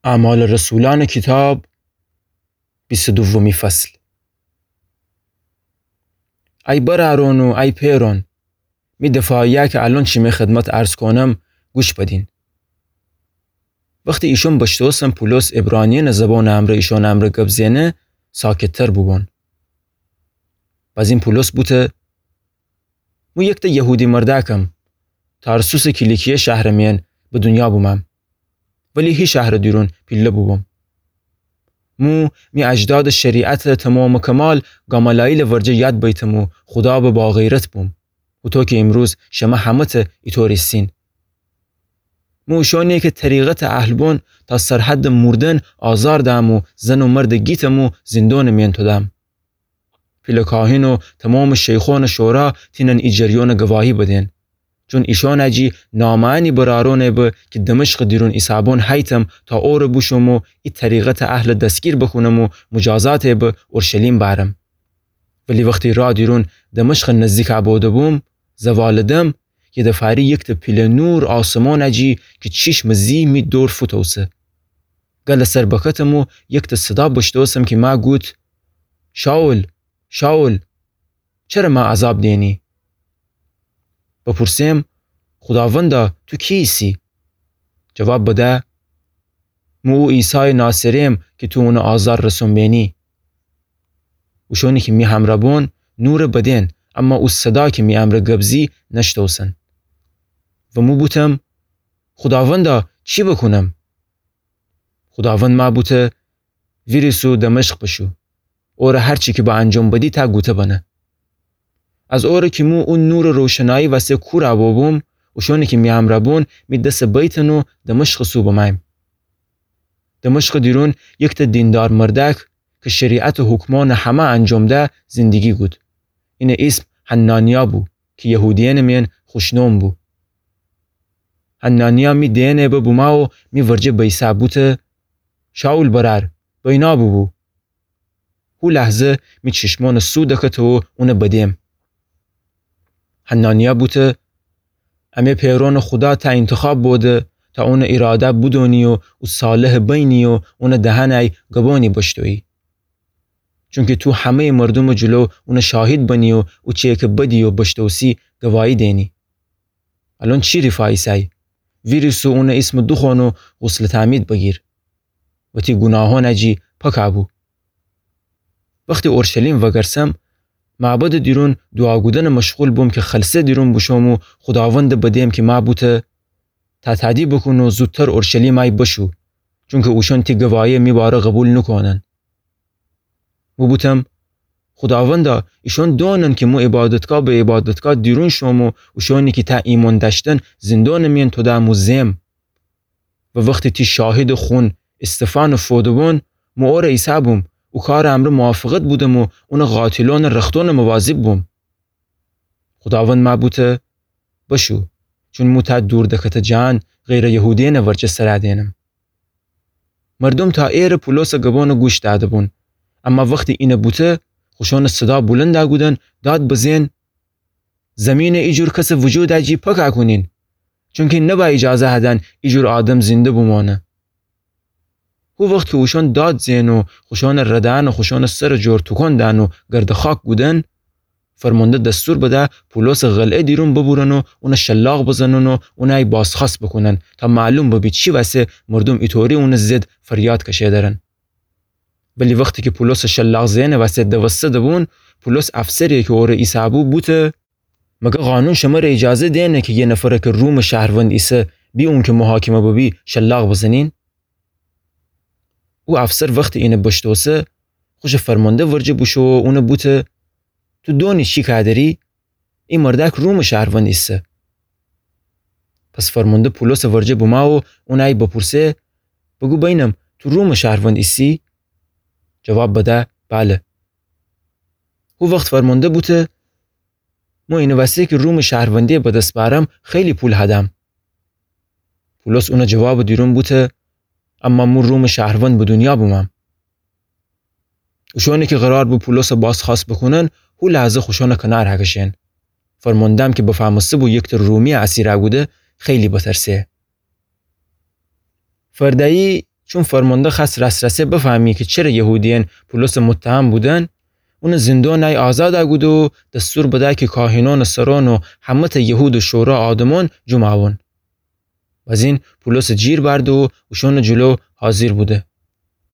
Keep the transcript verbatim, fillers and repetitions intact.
اعمال رسولأنٚ کیتاب، بیست و دومی فصل. ای برأرأن و ای پئرأن، می دفاعیه کی الأن شیمی خدمت عرض کونم، گوش بدین. وختی ایشأن بشتوسن پولس عبرانیأنٚ زبانٚ امرأ ایشأنٚ امرأ گب زئنه، ساکت‌تر بوبون. بأزین پولس بوته، مو یکته یهودی مردأکم، تارسوسٚ کیلیکیه شهرٚ میأن به دونیا بومم. ولی هی شهرٚ دیرون پیله بوبوم. مو می اجدادٚ شریعتٚ تمام و کمال گامالاییلٚ ورجه یاد بیتم و خودا به باغیرت بوم. هوطو کی ایمروز شمه همه‌ته ایطور ایسین. مو اوشأنی کی طریقتٚ اهل بون تا سرحدٚ موردن آزار دأم و زن و مردٚ گیتم و زیندانٚ میأن تودم. پیله کاهین و تمامٚ شیخونٚ شورا تینن ای جریانٚ گواهی بدین. چون ایشأن جی نامه‌یأنی برأرأنه به کی دمشقٚ دیرون ایسابون هیتم تا اوره بوشوم و ای طریقتٚ اهل دستگیر بکونم و مجازاته به اورشلیم بأرم. ولی وختی راه دیرون دمشقٚ نزدیک بوده بوم، زوالٚ دم، یدفعه‌یی یکته پیله نور آسمانٚ جی کی چیشمٚ زی می دور فوتوسه. گلٚ سر بکتم و یکته صدا بشتوسم کی مه گوت، شائول، شائول، چره مه عذاب دئنی؟ بپورسم، خوداوندا، تو کی ایسی؟ جواب بده، مو او عیسایٚ ناصری‌یم کی تو اونه آزار رسون بئنی. اوشونی کی می همرأ بون نوره بدین، اما او صدا کی می امرأ گب زی نشتوسن. و مو بوتم، خوداوندا، چی بکونم؟ خوداوند مه بوته، ویریس و دمشق بشو. اوره هر چی کی به انجام بدی ته گوته بنه. از اوره کی مو او نورٚ روشنایی وسه کورا بوبوم، اوشونی کی می همرأ بون می دسٚ بیتن و دمشقٚ سو بمأیم. دمشقٚ دیرون یکته دیندار مردأک کی شریعتٚ حکمأنٚ همه انجام ده زندگی گود. اینٚ ایسم حنانیا بو کی یهودیأنٚ میأن خوشنام بو. حنانیا می دئنه به بومه و می ورجه بیسه بوته، شائول برأر، بینا بوبو. هو لحظه می چشمأنٚ سو دکته و اونه بدم. حنانیا بوته، امه پئرأنٚ خودا ته اینتخاب بوده تا اونٚ ایراده بدونی و او صالحٚ بینی و اونٚ دهنه گبانی بشتویی. چونکی تو همه‌یٚ مردومٚ جلو اونٚ شاهید بنی و او چیی کی بدی و بشتوسی گواهی دئنی. الأن چی ریفا ایسه‌یی؟ ویریس و اونٚ ایسمٚ دوخوأن و غسلٚ تعمید بگیر. و تی گوناهأنٚ جی پاکا بو. وختی اورشلیم وگرسم، معبدٚ دیرون دوعا گودنٚ مشغول بوم کی خلسه دیرون بوشوم و خوداوندٚ بدم کی مه بوته، تاتادی بوکون و زودتر اورشلیم بشو، چونکی اوشأن تی گواهی می باره قوبیل نوکونن. مو بوتم، خوداوندا، ایشأن دونن کی مو عبادتگاه به عبادتگاه دیرون شوم و اوشأنی کی ته ایمأن دأشتن زیندانٚ میأن تودم و زئم. و وختی تی شاهیدٚ خون استفانٚ فودٚ بون، مو اوره ایسه بوم، او کارٚ امرأ موافقت بودم و اونٚ قاتلأنٚ رختأنٚ مواظب بوم. خوداوند مه بوته، بشو، چون مو ته دور دکته جهان غیرٚ یهودیأنٚ ورجه سرا دئنم. مردوم تا ایره پولوسٚ گبأنٚ گوش دأده بون. اما وختی اینه بوته، خوشأنٚ صدا بولندا گودن، داد بزئن، زمینٚ ایجور کسٚ وجودٚ جی پاکا کونین، چونکی نبا ایجازه هدن ایجور آدم زنده بومأنه. هو وخت کی اوشأن داد زئن و خوشأنٚ ردأن و خوشأنٚ سرٚ جور توکان دأن و گردٚ خاک گودن، فرمانده دستور بده پولوسٚ قلعه دیرون ببورن و اونه شلاق بزنن و اونهی بازخوأست بوکونن تا معلوم ببی چی وسه مردوم ایطوری اونٚ ضد فریاد کشئیدرن. ولی وختی کی پولوسٚ شلاق زئنٚ وسه دوسته دبون، پولوس افسری کی اوره ایسهبو بوته، مگه قانون شمره ایجازه دئنه کی یه نفره کی رومٚ شهروند ایسه، بی اونکی محاکمه ببی، شلاق بزنین؟ او افسر وختی اینه بشتوسه، خوشٚ فرمانده ورجه بوشو و اونه بوته، تو دونی چی کادری؟ ای مردأک رومٚ شهروند ایسه. پس فرمانده پولوسٚ ورجه بومه و اونهی بپورسه، بوگو بینم، تو رومٚ شهروند ایسی؟ جواب بده، بله. هو وخت فرمانده بوته، مو اینٚ وسه کی رومٚ شهروندی بدس بأرم، خیلی پول هدم. پولوس اونٚ جوابٚ دیرون بوته، اما مو رومٚ شهروند به دونیا بومم. اوشأنی کی قرار بو پولوسٚ بازخوأست بوکونن، هو لحظه خوشأنٚ کنار هکشئن. فرمانده‌م کی بفهمسته بو یکته رومی اسیرا گوده، خیلی بترسه. فردهیی چون فرمانده خوأست راس‌راسه بفهمی کی چره یهودیأن پولوسٚ متهم بودن، اونٚ زندونٚ ای آزاد کوده و دستور بده کی کاهنأنٚ سرأن و همه‌تأ یهود و شورا آدمأن جمع بون. بزین پولوسٚ جیر بأرده و اوشأنٚ جلو حاضر بوده.